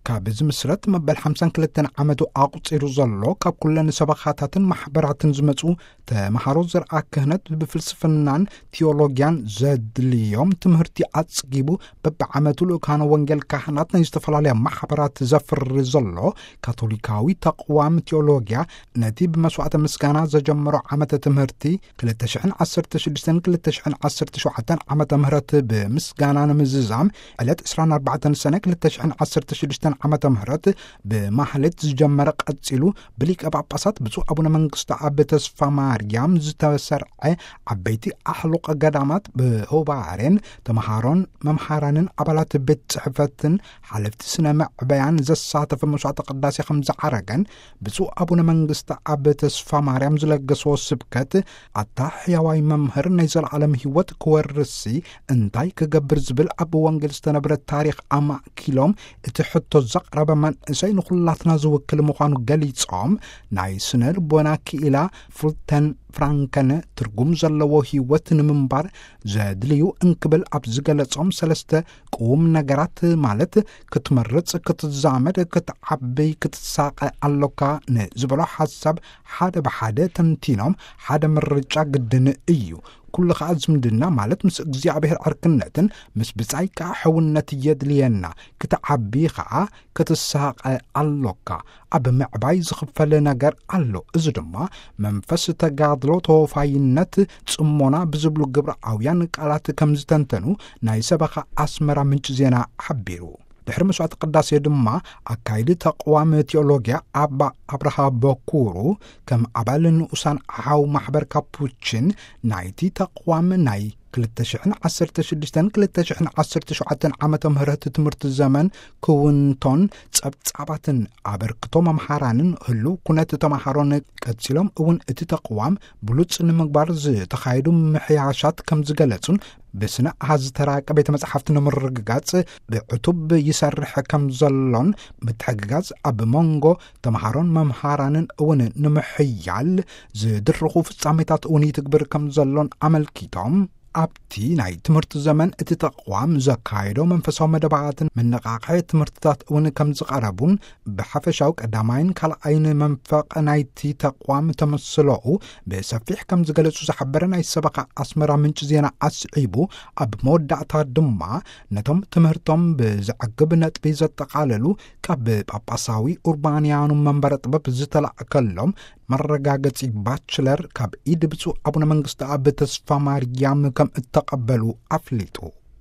ካብ ዝምስረት መበል ሓምሳን ክልተን ዓመቱ ኣቑጺሩ ዘሎ፣ ካብ ኩለን ሰበኻታትን ማሕበራትን ዝመጹ ተምሃሮ ዘርኣ ክህነት ብፍልስፍናን ቲዮሎጊያን ዘድልዮም ትምህርቲ ኣጽጊቡ፣ በብዓመቱ ልኡካነ ወንጌል ካህናት ናይ ዝተፈላለያ ማሕበራት ዘፍሪ ዘሎ ካቶሊካዊ ተቕዋም ቲዮሎጊያ፣ ነቲ ብመስዋዕተ ምስጋና ዘጀመሮ ዓመተ ትምህርቲ ክልተ ሽሕን ዓሰርተ ሽዱሽተን ክልተ ሽሕን ዓሰርተ ሸውዓተን ዓመተ ምህረት ብምስጋና ንምዝዛም፣ ዕለት ዕስራን ኣርባዕተን ሰነ ክልተ ሽሕን ዓሰርተ ሽዱሽተን ዓመተ ምህረት ብማህሌት ዝጀመረ፣ ቀጺሉ ብሊቀ ጳጳሳት ብፁዕ ኣቡነ መንግስቱ ኣብ ተስፋ ማርያም ዝተሰርዐ ዓበይቲ ኣሕሉቕ ገዳማት ብሆባሬን ተምሃሮን መምሃራንን ኣባላት ቤት ጽሕፈትን ሓለፍቲ ስነ መዕበያን ዘሳተፈ መስዋዕተ ቅዳሴ ከም ዝዓረገን፣ ብፁዕ ኣቡነ መንግስቱ ኣብ ተስፋ ማርያም ዝለገስዎ ስብከት፣ ኣታ ሕያዋይ መምህር ናይ ዘለዓለም ህይወት ክወርስሲ እንታይ ክገብር ዝብል ኣብ ወንጌል ዝተነብረ ታሪኽ ኣማእኪሎም እቲ ሕቶ ዘቕረበ መንእሰይ ንኹላትና ዝውክል ምዃኑ ገሊጾም፣ ናይ ስነ ልቦና ክኢላ ፍሉተን ፍራንከን ትርጉም ዘለዎ ህይወት ንምንባር ዘድልዩ እንክብል ኣብ ዝገለጾም ሰለስተ ቁም ነገራት፣ ማለት ክትመርጽ፣ ክትዛመድ፣ ክትዓብይ፣ ክትሳቐ ኣሎካ ንዝበሎ ሓሳብ ሓደ ብሓደ ተንቲኖም፣ ሓደ ምርጫ ግድን እዩ። ኩሉ ኸኣ ዝምድና፣ ማለት ምስ እግዚኣብሔር ዕርክነትን ምስ ብጻይ ከኣ ሕውነት የድልየና። ክትዓቢ ኸኣ ክትሳቐ ኣሎካ። ኣብ ምዕባይ ዝኽፈል ነገር ኣሎ። እዚ ድማ መንፈስ ተጋድሎ፣ ተወፋይነት፣ ጽሞና ብዝብሉ ግብረኣውያን ቃላት ከም ዝተንተኑ ናይ ሰበኻ ኣስመራ ምንጪ ዜና ሓቢሩ። ድሕሪ መስዋዕቲ ቅዳሴ ድማ ኣካይዲ ተቕዋም ቲዮሎጊያ ኣባ ኣብርሃ በኩሩ ከም ኣባል ንኡሳን ሓው ማሕበር ካፑችን ናይቲ ተቕዋም ናይ ክልተ ሽሕን ዓሰርተ ሽዱሽተን ክልተ ሽሕን ዓሰርተ ሸውዓተን ዓመተ ምህረት ትምህርቲ ዘመን ክውንቶን ጸብጻባትን ኣበርክቶ መምሃራንን ህሉው ኩነት ተምሃሮን ቀጺሎም እውን እቲ ተቕዋም ብሉጽ ንምግባር ዝተኻየዱ ምሕያሻት ከም ዝገለጹን ብስነ ኣሃዝ ዝተራቀ ቤተ መጻሕፍቲ ንምርግጋጽ ብዕቱብ ይሰርሕ ከም ዘሎን ምትሕግጋዝ ኣብ መንጎ ተምሃሮን መምሃራንን እውን ንምሕያል ዝድርኹ ፍጻሜታት እውን ይትግብር ከም ዘሎን ኣመልኪቶም፣ ኣብቲ ናይ ትምህርቲ ዘመን እቲ ተቕዋም ዘካየዶ መንፈሳዊ መደባትን መነቓቕሒ ትምህርትታት እውን ከም ዝቐረቡን፣ ብሓፈሻዊ ቀዳማይን ካልኣይን መንፈቕ ናይቲ ተቕዋም ተመስሎኡ ብሰፊሕ ከም ዝገለጹ ዝሓበረ ናይ ሰበኻ ኣስመራ ምንጪ ዜና ኣስዒቡ፣ ኣብ መወዳእታ ድማ ነቶም ትምህርቶም ብዘዕግብ ነጥቢ ዘጠቓለሉ ካብ ጳጳሳዊ ኡርባንያኑ መንበረ ጥበብ ዝተላእከሎም መረጋገጺ ባችለር ካብ ኢድ ብፁዕ ኣቡነ መንግስቱ ኣብ ተስፋ ማርያም ከም እተቐበሉ ኣፍሊጡ።